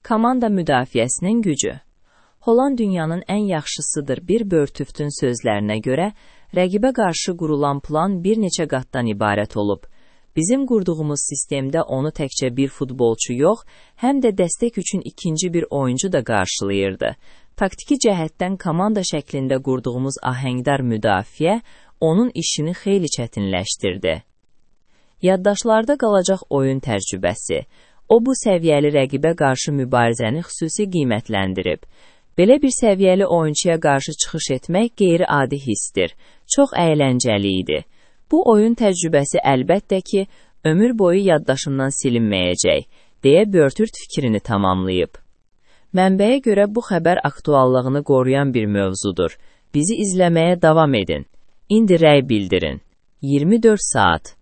Komanda müdafiəsinin gücü. Holland dünyanın ən yaxşısıdır bir Börtüftün sözlərinə görə, rəqibə qarşı qurulan plan bir neçə qatdan ibarət olub. Bizim qurduğumuz sistemdə onu təkcə bir futbolçu yox, həm də dəstək üçün ikinci bir oyuncu da qarşılayırdı. Taktiki cəhətdən komanda şəklində qurduğumuz ahəngdar müdafiə onun işini xeyli çətinləşdirdi. Yaddaşlarda qalacaq oyun təcrübəsi. O, bu səviyyəli rəqibə qarşı mübarizəni xüsusi qiymətləndirib. Belə bir səviyyəli oyunçuya qarşı çıxış etmək qeyri-adi hissdir. Çox əyləncəli idi. Bu oyun təcrübəsi əlbəttə ki, ömür boyu yaddaşından silinməyəcək, deyə Börtüft fikrini tamamlayıb. Mənbəyə görə bu xəbər aktuallığını qoruyan bir mövzudur. Bizi izləməyə davam edin. İndi rəy bildirin. 24 saat.